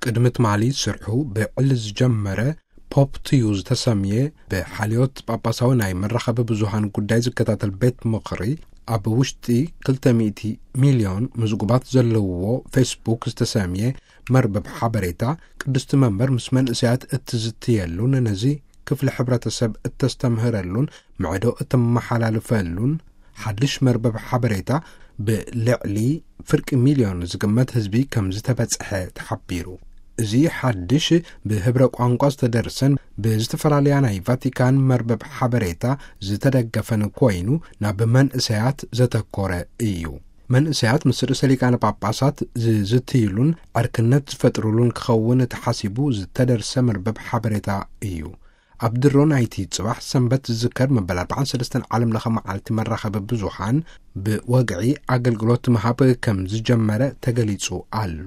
ቅድሚ ትማሊ ስርሑ ብዕሊ ዝጀመረ ፖፕ ቱ ዩ ዝተሰምየ ብሓልዮት ጳጳሳዊ ናይ መራኸቢ ብዙሃን ጉዳይ ዝከታተል ቤት ምኽሪ፣ ኣብ ውሽጢ ክልተ ሚእቲ ሚልዮን ምዝጉባት ዘለውዎ ፌስቡክ ዝተሰምየ መርበብ ሓበሬታ፣ ቅድስቲ መንበር ምስ መንእሰያት እትዝትየሉን ነዚ ክፍሊ ሕብረተሰብ እተስተምህረሉን ምዕዶ እተመሓላልፈሉን ሓድሽ መርበብ ሓበሬታ፣ ብልዕሊ ፍርቂ ሚልዮን ዝግመት ህዝቢ ከም ዝተበጽሐ ተሓቢሩ። እዚ ሓድሽ ብህብረ ቋንቋ ዝተደርሰን ብዝተፈላለያ ናይ ቫቲካን መርበብ ሓበሬታ ዝተደገፈን ኮይኑ፣ ናብ መንእሰያት ዘተኮረ እዩ። መንእሰያት ምስ ርእሰ ሊቃነ ጳጳሳት ዝዝትይሉን ዕርክነት ዝፈጥሩሉን ክኸውን ተሓሲቡ ዝተደርሰ መርበብ ሓበሬታ እዩ። ኣብ ድሮ ናይቲ ጽባሕ ሰንበት ዝዝከር መበል ኣርባዓን ሰለስተን ዓለም ለኸ መዓልቲ መራኸቢ ብዙሃን፣ ብወግዒ ኣገልግሎት ምሃብ ከም ዝጀመረ ተገሊጹ ኣሎ።